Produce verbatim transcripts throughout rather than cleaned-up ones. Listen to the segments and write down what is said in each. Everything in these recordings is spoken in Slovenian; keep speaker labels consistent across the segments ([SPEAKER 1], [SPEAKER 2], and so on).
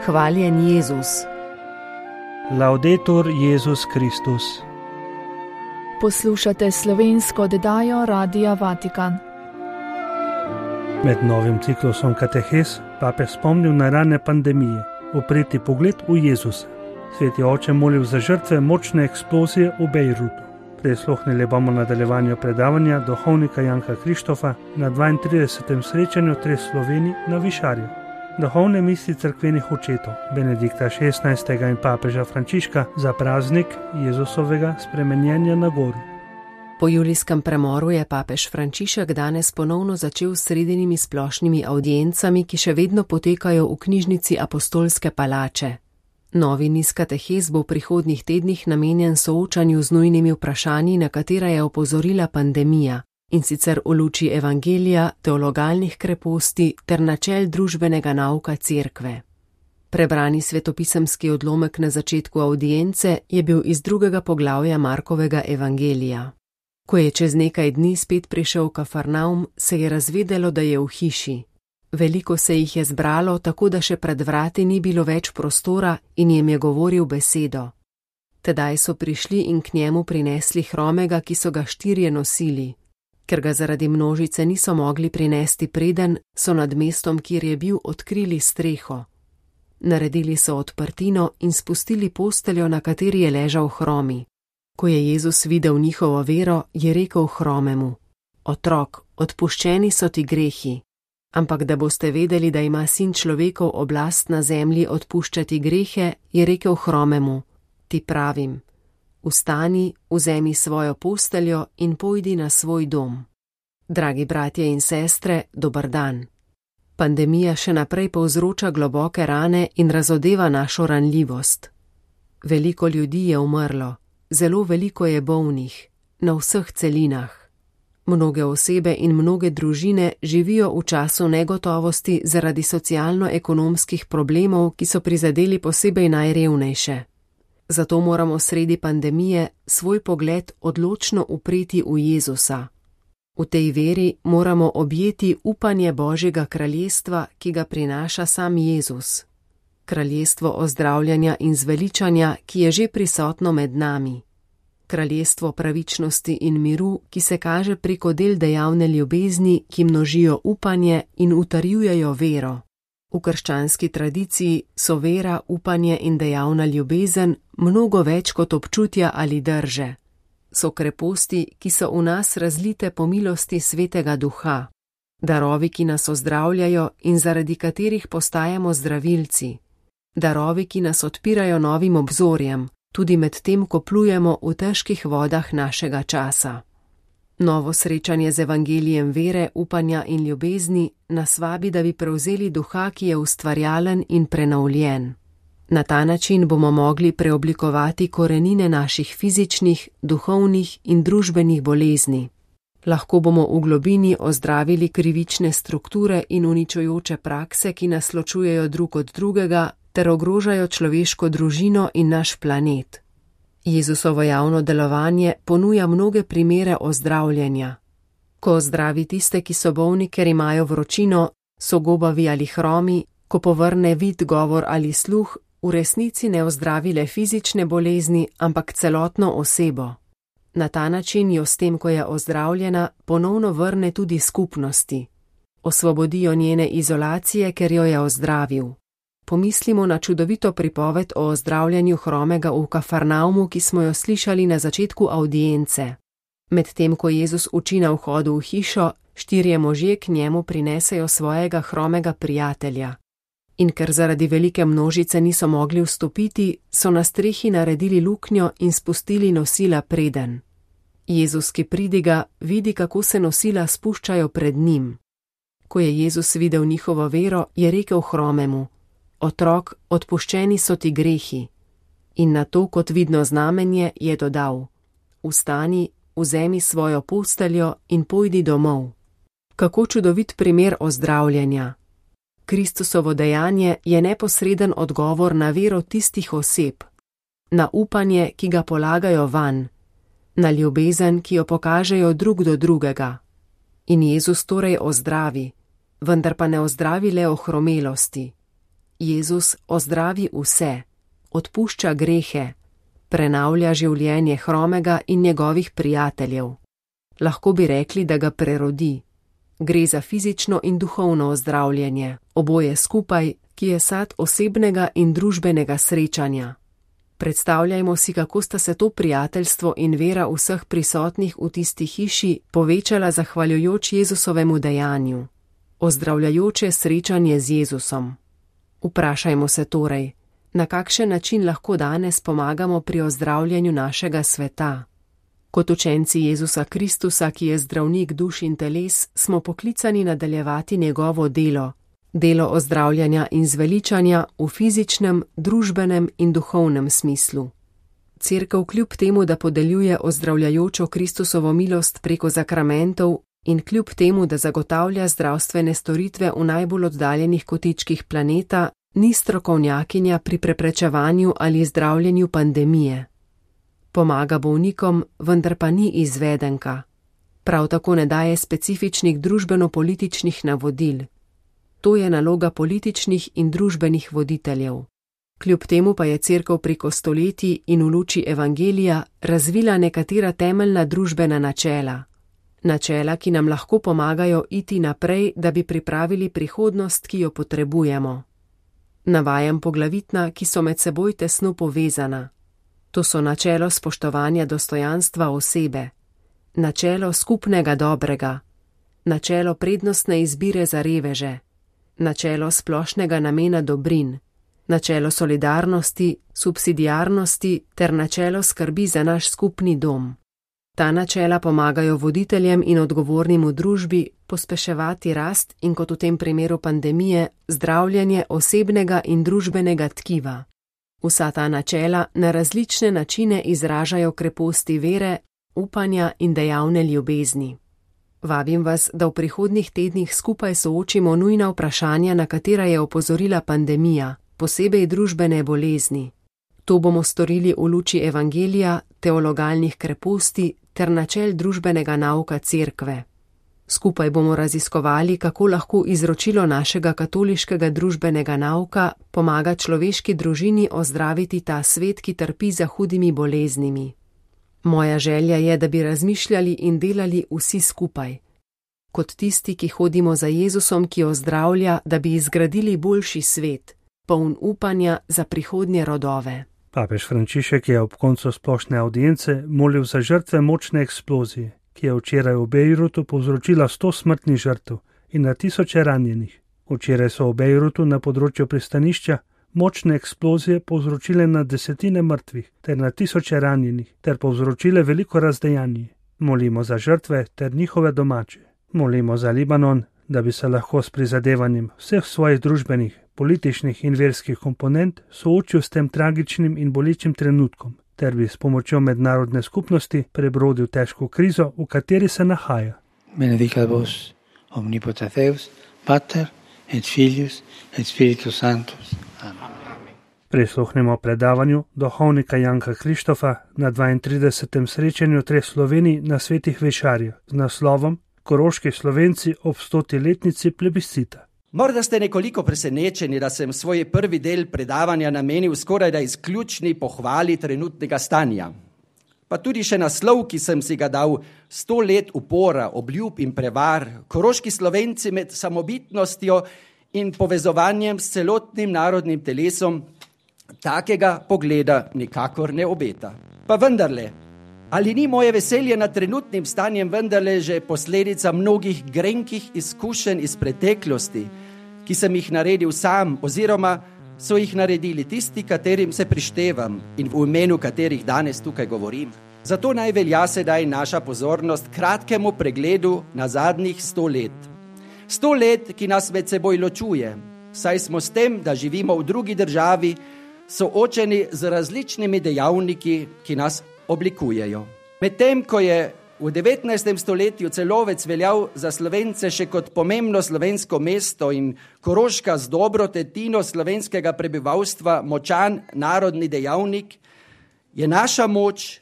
[SPEAKER 1] Hvaljen Jezus.
[SPEAKER 2] Laudetur Jezus Kristus.
[SPEAKER 3] Poslušate slovensko oddajo Radia Vatikan.
[SPEAKER 2] Med novim ciklusom katehes papež spomnil na rane pandemije, upreti pogled v Jezusa. Sveti oče molil za žrtve močne eksplozije v Bejrutu. Prisluhnili bomo nadaljevanju predavanja duhovnika Janka Krištofa na dvaintridesetem srečanju treh Slovenij na Višarju. Duhovne misli cerkvenih očetov Benedikta šestnajstega in papeža Frančiška za praznik Jezusovega spremenjenja na gori.
[SPEAKER 1] Po julijskem premoru je papež Frančišek danes ponovno začel s sredinimi splošnimi avdiencami, ki še vedno potekajo v knjižnici Apostolske palače. Novi niz katehes bo v prihodnjih tednih namenjen soočanju z nujnimi vprašanji, na katera je opozorila pandemija, in sicer v luči evangelija, teologalnih kreposti ter načel družbenega nauka cerkve. Prebrani svetopisemski odlomek na začetku avdience je bil iz drugega poglavja Markovega evangelija. Ko je čez nekaj dni spet prišel v Kafarnaum, se je razvedelo, da je v hiši. Veliko se jih je zbralo, tako da še pred vrati ni bilo več prostora in jim je govoril besedo. Tedaj so prišli in k njemu prinesli hromega, ki so ga štirje nosili. Ker ga zaradi množice niso mogli prinesti preden, so nad mestom, kjer je bil, odkrili streho. Naredili so odprtino in spustili posteljo, na kateri je ležal hromi. Ko je Jezus videl njihovo vero, je rekel hromemu: Otrok, odpuščeni so ti grehi. Ampak da boste vedeli, da ima sin človekov oblast na zemlji odpuščati grehe, je rekel hromemu: Ti pravim, vstani, vzemi svojo posteljo in pojdi na svoj dom. Dragi bratje in sestre, dober dan. Pandemija še naprej povzroča globoke rane in razodeva našo ranljivost. Veliko ljudi je umrlo, zelo veliko je bolnih, na vseh celinah. Mnoge osebe in mnoge družine živijo v času negotovosti zaradi socialno-ekonomskih problemov, ki so prizadeli posebej najrevnejše. Zato moramo sredi pandemije svoj pogled odločno upreti v Jezusa. V tej veri moramo objeti upanje Božjega kraljestva, ki ga prinaša sam Jezus. Kraljestvo ozdravljanja in zveličanja, ki je že prisotno med nami. Kraljestvo pravičnosti in miru, ki se kaže preko del dejavne ljubezni, ki množijo upanje in utrjujejo vero. V krščanski tradiciji so vera, upanje in dejavna ljubezen mnogo več kot občutja ali drže. So kreposti, ki so v nas razlite po milosti Svetega Duha. Darovi, ki nas ozdravljajo in zaradi katerih postajamo zdravilci. Darovi, ki nas odpirajo novim obzorjem, tudi med tem, ko plujemo v težkih vodah našega časa. Novo srečanje z evangelijem vere, upanja in ljubezni nas vabi, da bi prevzeli duha, ki je ustvarjalen in prenovljen. Na ta način bomo mogli preoblikovati korenine naših fizičnih, duhovnih in družbenih bolezni. Lahko bomo v globini ozdravili krivične strukture in uničujoče prakse, ki nas ločujejo drug od drugega, ter ogrožajo človeško družino in naš planet. Jezusovo javno delovanje ponuja mnoge primere ozdravljenja. Ko ozdravi tiste, ki so bolni, ker imajo vročino, so gobavi ali hromi, ko povrne vid, govor ali sluh, v resnici ne ozdravi le fizične bolezni, ampak celotno osebo. Na ta način jo s tem, ko je ozdravljena, ponovno vrne tudi skupnosti. Osvobodijo njene izolacije, ker jo je ozdravil. Pomislimo na čudovito pripoved o ozdravljanju hromega v Kafarnaumu, ki smo jo slišali na začetku avdience. Medtem ko Jezus uči na vhodu v hišo, štirje možje k njemu prinesejo svojega hromega prijatelja. In ker zaradi velike množice niso mogli vstopiti, so na strehi naredili luknjo in spustili nosila preden. Jezus, ki pridiga, vidi, kako se nosila spuščajo pred njim. Ko je Jezus videl njihovo vero, je rekel hromemu: Otrok, odpuščeni so ti grehi. In na to, kot vidno znamenje, je dodal: Vstani, vzemi svojo posteljo in pojdi domov. Kako čudovit primer ozdravljenja. Kristusovo dejanje je neposreden odgovor na vero tistih oseb, na upanje, ki ga polagajo vanj, na ljubezen, ki jo pokažejo drug do drugega. In Jezus torej ozdravi, vendar pa ne ozdravi le ohromelosti. Jezus ozdravi vse, odpušča grehe, prenavlja življenje hromega in njegovih prijateljev. Lahko bi rekli, da ga prerodi. Gre za fizično in duhovno ozdravljenje, oboje skupaj, ki je sad osebnega in družbenega srečanja. Predstavljajmo si, kako sta se to prijateljstvo in vera vseh prisotnih v tisti hiši povečala zahvaljujoč Jezusovemu dejanju. Ozdravljajoče srečanje z Jezusom. Vprašajmo se torej, na kakšen način lahko danes pomagamo pri ozdravljanju našega sveta. Kot učenci Jezusa Kristusa, ki je zdravnik duš in teles, smo poklicani nadaljevati njegovo delo, delo ozdravljanja in zveličanja v fizičnem, družbenem in duhovnem smislu. Cerkev kljub temu, da podeljuje ozdravljajočo Kristusovo milost preko zakramentov in kljub temu, da zagotavlja zdravstvene storitve v najbolj oddaljenih kotičkih planeta, ni strokovnjakinja pri preprečevanju ali zdravljenju pandemije. Pomaga bolnikom, vendar pa ni izvedenka. Prav tako ne daje specifičnih družbeno-političnih navodil. To je naloga političnih in družbenih voditeljev. Kljub temu pa je Cerkev preko stoletij in v luči Evangelija razvila nekatera temeljna družbena načela. Načela, ki nam lahko pomagajo iti naprej, da bi pripravili prihodnost, ki jo potrebujemo. Navajam poglavitna, ki so med seboj tesno povezana. To so načelo spoštovanja dostojanstva osebe, načelo skupnega dobrega, načelo prednostne izbire za reveže, načelo splošnega namena dobrin, načelo solidarnosti, subsidiarnosti ter načelo skrbi za naš skupni dom. Ta načela pomagajo voditeljem in odgovornim v družbi pospeševati rast in, kot v tem primeru pandemije, zdravljenje osebnega in družbenega tkiva. Vsa ta načela na različne načine izražajo kreposti vere, upanja in dejavne ljubezni. Vabim vas, da v prihodnjih tednih skupaj soočimo nujna vprašanja, na katera je opozorila pandemija, posebej družbene bolezni. To bomo storili v luči Evangelija, teologalnih kreposti ter načel družbenega nauka Cerkve. Skupaj bomo raziskovali, kako lahko izročilo našega katoliškega družbenega nauka pomaga človeški družini ozdraviti ta svet, ki trpi za hudimi boleznimi. Moja želja je, da bi razmišljali in delali vsi skupaj. Kot tisti, ki hodimo za Jezusom, ki ozdravlja, da bi izgradili boljši svet, poln upanja za prihodnje rodove.
[SPEAKER 2] Papež Frančišek je ob koncu splošne avdience molil za žrtve močne eksplozije, ki je včeraj v Bejrutu povzročila sto smrtnih žrtev in na tisoče ranjenih. Včeraj so v Bejrutu na področju pristanišča močne eksplozije povzročile na desetine mrtvih ter na tisoče ranjenih ter povzročile veliko razdejanje. Molimo za žrtve ter njihove domače. Molimo za Libanon, da bi se lahko s prizadevanjem vseh svojih družbenih, političnih in verskih komponent soočil s tem tragičnim in bolečim trenutkom, ter bi s pomočjo mednarodne skupnosti prebrodil težko krizo, v kateri se nahaja.
[SPEAKER 4] Benedicat vos, omnipotens Deus, Pater et Filius et Spiritus Sanctus. Amen.
[SPEAKER 2] Prisluhnemo predavanju duhovnika Janka Krištofa na dvaintridesetem srečanju treh Slovenij na Svetih Večarjah z naslovom Koroški Slovenci ob stoti letnici plebiscita.
[SPEAKER 5] Morda ste nekoliko presenečeni, da sem svoj prvi del predavanja namenil skoraj da izključni pohvali trenutnega stanja. Pa tudi še naslov, ki sem si ga dal, sto let upora, obljub in prevar, koroški Slovenci med samobitnostjo in povezovanjem s celotnim narodnim telesom, takega pogleda nikakor ne obeta. Pa vendarle, ali ni moje veselje nad trenutnim stanjem vendarle že posledica mnogih grenkih izkušenj iz preteklosti, ki sem jih naredil sam oziroma so jih naredili tisti, katerim se prištevam in v imenu katerih danes tukaj govorim. Zato naj velja sedaj naša pozornost kratkemu pregledu na zadnjih sto let. Sto let, ki nas med seboj ločuje, saj smo s tem, da živimo v drugi državi, soočeni z različnimi dejavniki, ki nas oblikujejo. Medtem, ko je v devetnajstem stoletju Celovec veljal za Slovence še kot pomembno slovensko mesto in Koroška z dobro tretjino slovenskega prebivalstva močan narodni dejavnik, je naša moč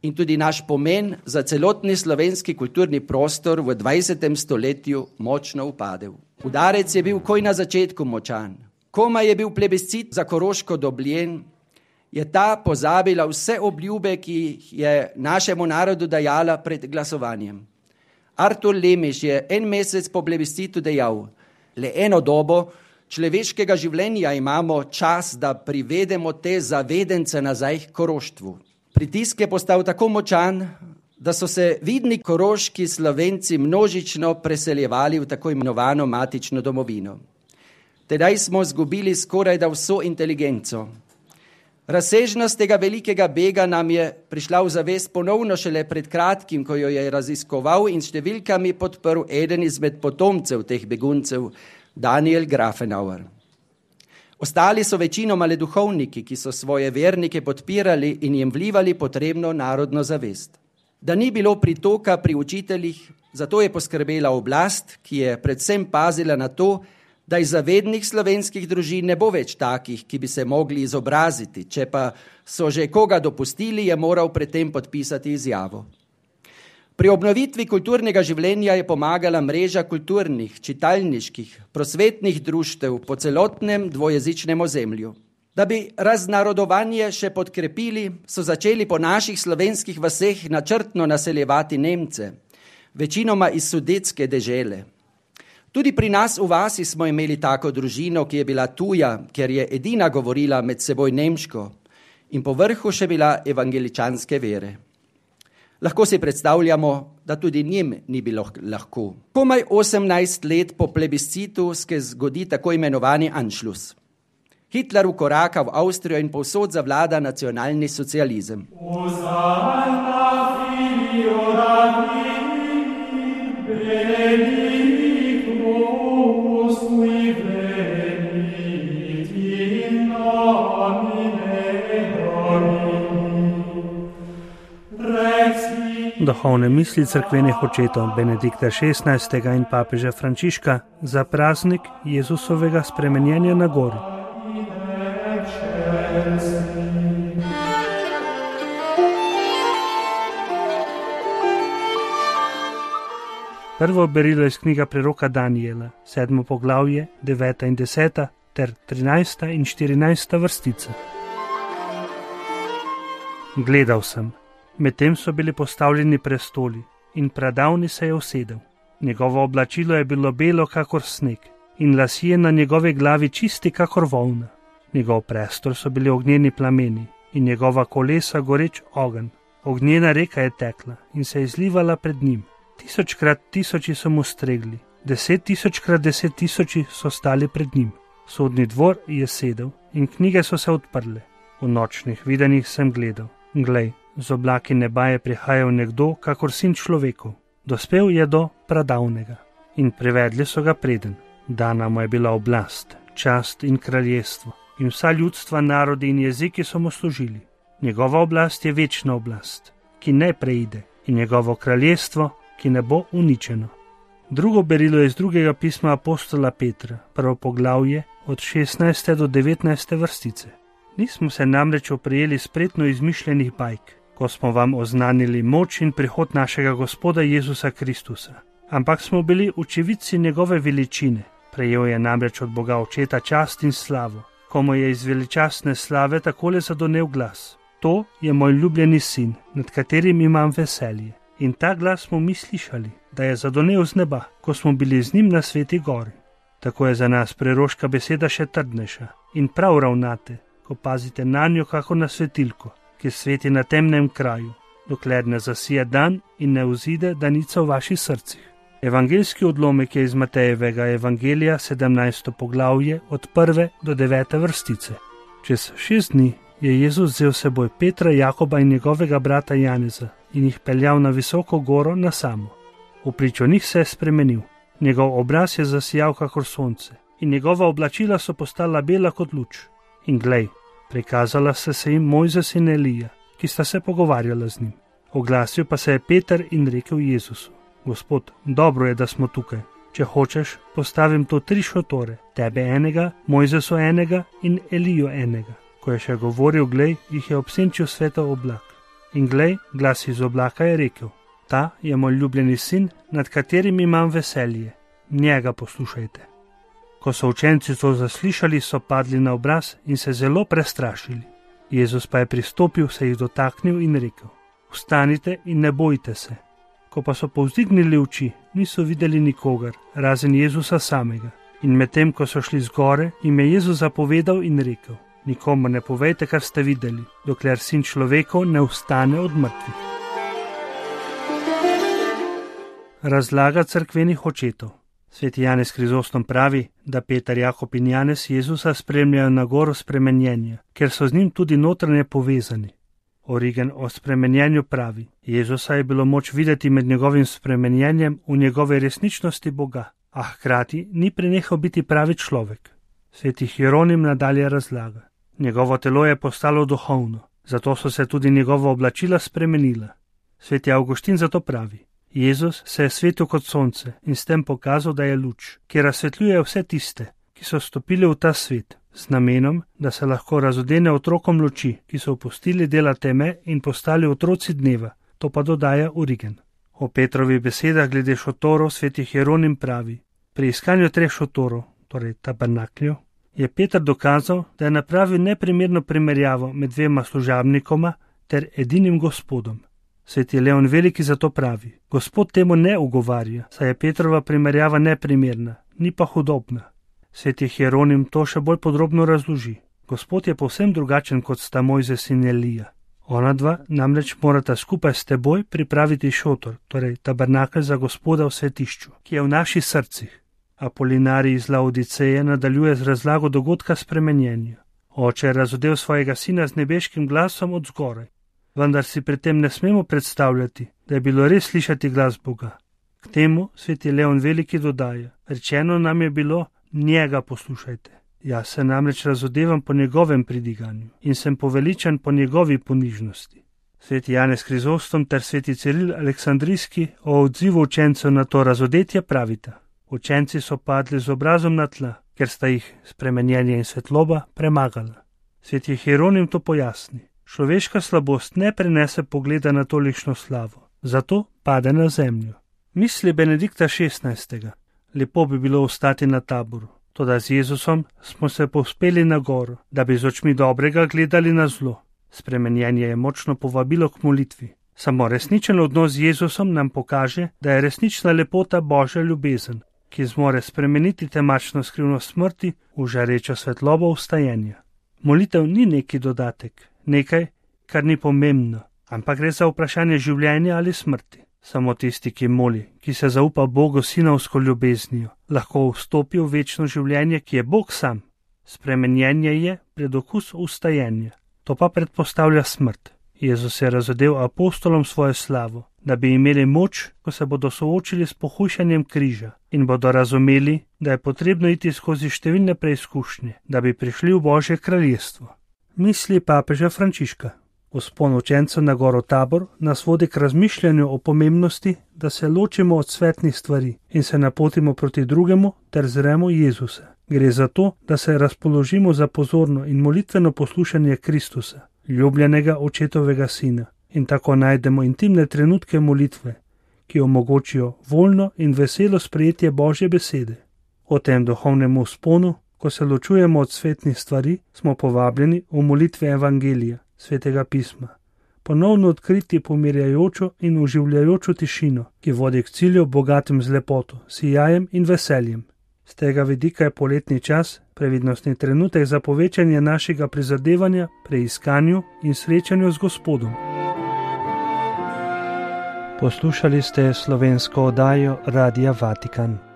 [SPEAKER 5] in tudi naš pomen za celotni slovenski kulturni prostor v dvajsetem stoletju močno upadel. Udarec je bil koj na začetku močan. Koma je bil plebiscit za Koroško dobljen, je ta pozabila vse obljube, ki jih je našemu narodu dajala pred glasovanjem. Artur Lemiš je en mesec po plebiscitu dejal, le eno dobo človeškega življenja imamo čas, da privedemo te zavedence nazaj k koroštvu. Pritisk je postal tako močan, da so se vidni koroški Slovenci množično preseljevali v tako imenovano matično domovino. Tedaj smo zgubili skoraj da vso inteligenco. Razsežnost tega velikega bega nam je prišla v zavest ponovno šele pred kratkim, ko jo je raziskoval in številkami podprl eden izmed potomcev teh beguncev, Daniel Grafenauer. Ostali so večinoma le duhovniki, ki so svoje vernike podpirali in jim vlivali potrebno narodno zavest. Da ni bilo pritoka pri učiteljih, zato je poskrbela oblast, ki je predvsem pazila na to, da iz zavednih slovenskih družin ne bo več takih, ki bi se mogli izobraziti, če pa so že koga dopustili, je moral predtem podpisati izjavo. Pri obnovitvi kulturnega življenja je pomagala mreža kulturnih, čitalniških, prosvetnih društev po celotnem dvojezičnem ozemlju. Da bi raznarodovanje še podkrepili, so začeli po naših slovenskih vaseh načrtno naseljevati Nemce, večinoma iz sudetske dežele. Tudi pri nas v vasi smo imeli tako družino, ki je bila tuja, ker je edina govorila med seboj nemško in po vrhu še bila evangeličanske vere. Lahko si predstavljamo, da tudi njim ni bilo lahko. Komaj osemnajst let po plebiscitu se zgodi tako imenovani Anschluss. Hitler vkoraka v Avstrijo in povsod zavlada nacionalni socializem.
[SPEAKER 2] Duhovne misli cerkvenih očetov Benedikta šestnajstega in papeža Frančiška za praznik Jezusovega spremenjenja na gori. Prvo berilo iz knjiga preroka Daniela, sedmo poglavje, deveta in deseta ter trinajsta in štirinajsta vrstica. Gledal sem. Medtem so bili postavljeni prestoli in pradavni se je usedel. Njegovo oblačilo je bilo belo kakor sneg in lasje na njegove glavi čisti kakor volna. Njegov prestol so bili ognjeni plameni in njegova kolesa goreč ogenj. Ognjena reka je tekla in se je izlivala pred njim. Tisočkrat tisoči so mu stregli, deset tisočkrat deset tisoči so stali pred njim. Sodni dvor je sedel in knjige so se odprle. V nočnih videnjih sem gledal. Glej, z oblaki neba je prihajal nekdo, kakor sin človekov. Dospel je do pradavnega in privedli so ga preden. Dana mu je bila oblast, čast in kraljestvo in vsa ljudstva, narodi in jeziki so mu služili. Njegova oblast je večna oblast, ki ne preide, in njegovo kraljestvo, ki ne bo uničeno. Drugo berilo je iz drugega pisma apostola Petra, prvo poglavje od šestnajste do devetnajste vrstice. Nismo se namreč oprijeli spretno izmišljenih bajk, ko smo vam oznanili moč in prihod našega Gospoda Jezusa Kristusa, ampak smo bili očividci njegove veličine. Prejel je namreč od Boga Očeta čast in slavo, ko mu je iz veličastne slave takole zadonel glas. To je moj ljubljeni sin, nad katerim imam veselje. In ta glas smo mi slišali, da je zadonel z neba, ko smo bili z njim na Sveti gori. Tako je za nas preroška beseda še trdnejša in prav ravnate, ko pazite na njo kako na svetilko, ki sveti na temnem kraju, dokler ne zasije dan in ne vzide danica v vaših srcih. Evangeljski odlomek je iz Matejevega evangelija, sedemnajsto poglavje, od prve do devete vrstice. Čez šest dni je Jezus vzel seboj Petra, Jakoba in njegovega brata Janeza in jih peljal na visoko goro na samo. V pričo njih se je spremenil. Njegov obraz je zasijal kakor sonce in njegova oblačila so postala bela kot luč. In glej, prikazala se se jim Mojzes in Elija, ki sta se pogovarjala z njim. Oglasil pa se je Peter in rekel Jezusu: Gospod, dobro je, da smo tukaj. Če hočeš, postavim to tri šotore, tebe enega, Mojzesu enega in Elijo enega. Ko je še govoril, glej, jih je obsenčil svetov oblak. In glej, glas iz oblaka je rekel: Ta je moj ljubljeni sin, nad katerim imam veselje. Njega poslušajte. Ko so učenci to zaslišali, so padli na obraz in se zelo prestrašili. Jezus pa je pristopil, se jih dotaknil in rekel: Vstanite in ne bojte se. Ko pa so povzdignili oči, niso videli nikogar, razen Jezusa samega. In medtem, ko so šli zgore, jim je Jezus zapovedal in rekel: Nikomu ne povejte, kar ste videli, dokler Sin človekov ne vstane od mrtvih. Razlaga cerkvenih očetov. Sveti Janez Krizostom pravi, da Peter, Jakob in Janez Jezusa spremljajo na goro spremenjenja, ker so z njim tudi notranje povezani. Origen o spremenjenju pravi: Jezusa je bilo moč videti med njegovim spremenjenjem v njegove resničnosti Boga, a hkrati ni prenehal biti pravi človek. Sveti Hieronim nadalje razlaga: Njegovo telo je postalo duhovno, zato so se tudi njegova oblačila spremenila. Sveti Avguštin zato pravi: Jezus se je svetil kot sonce in s tem pokazal, da je luč, ki razsvetljuje vse tiste, ki so stopili v ta svet, z namenom, da se lahko razodene otrokom luči, ki so opustili dela teme in postali otroci dneva. To pa dodaja Origen. O Petrovih besedah glede šotorov sveti Hieronim pravi: Pri iskanju treh šotorov, torej tabernakljev, je Peter dokazal, da je napravil neprimerno primerjavo med dvema služabnikoma ter edinim Gospodom. Sveti Leon Veliki zato pravi: Gospod temu ne ugovarja, saj je Petrova primerjava neprimerna, ni pa hudobna. Sveti Hieronim to še bolj podrobno razloži. Gospod je povsem drugačen kot sta Mojzes in Elija. Ona dva namreč morata skupaj s teboj pripraviti šotor, torej tabernakelj za Gospoda v svetišču, ki je v naših srcih. Apolinarij iz Laodiceje nadaljuje z razlago dogodka spremenjenja. Oče je razodel svojega sina z nebeškim glasom od zgoraj. Vendar si pri tem ne smemo predstavljati, da je bilo res slišati glas Boga. K temu sveti Leon Veliki dodaja: Rečeno nam je bilo, njega poslušajte. Jaz se namreč razodevam po njegovem pridiganju in sem poveličan po njegovi ponižnosti. Sveti Janez Krizostom ter sveti Ciril Aleksandrijski o odzivu učencev na to razodetje pravita: Učenci so padli z obrazom na tla, ker sta jih spremenjenje in svetloba premagala. Sveti Hieronim to pojasni: Človeška slabost ne prenese pogleda na tolikšno slavo, zato pade na zemljo. Misli Benedikta šestnajstega. Lepo bi bilo ostati na taboru, toda z Jezusom smo se povzpeli na goro, da bi z očmi dobrega gledali na zlo. Spremenjenje je močno povabilo k molitvi. Samo resničen odnos z Jezusom nam pokaže, da je resnična lepota Božja ljubezen, ki zmore spremeniti temačno skrivnost smrti v žarečo svetlobo vstajenja. Molitev ni neki dodatek, nekaj, kar ni pomembno, ampak gre za vprašanje življenja ali smrti. Samo tisti, ki moli, ki se zaupa Bogu sinovsko ljubeznijo, lahko vstopi v večno življenje, ki je Bog sam. Spremenjenje je predokus vstajenja, to pa predpostavlja smrt. Jezus je razodel apostolom svojo slavo, da bi imeli moč, ko se bodo soočili s pohujšanjem križa in bodo razumeli, da je potrebno iti skozi številne preizkušnje, da bi prišli v Božje kraljestvo. Misli papeža Frančiška. Vzpon učencev na goro Tabor nas vodi k razmišljanju o pomembnosti, da se ločimo od svetnih stvari in se napotimo proti drugemu ter zremo Jezusa. Gre za to, da se razpoložimo za pozorno in molitveno poslušanje Kristusa, ljubljenega očetovega sina, in tako najdemo intimne trenutke molitve, ki omogočijo voljno in veselo sprejetje Božje besede. O tem duhovnem vzponu, ko se ločujemo od svetnih stvari, smo povabljeni v molitvi Evangelija, Svetega pisma, ponovno odkriti pomirjajočo in oživljajočo tišino, ki vodi k cilju bogatim z lepoto, sijajem in veseljem. Z tega vidika je poletni čas previdnostni trenutek za povečanje našega prizadevanja, preiskanju in srečanju z Gospodom. Poslušali ste slovensko oddajo Radia Vatikan.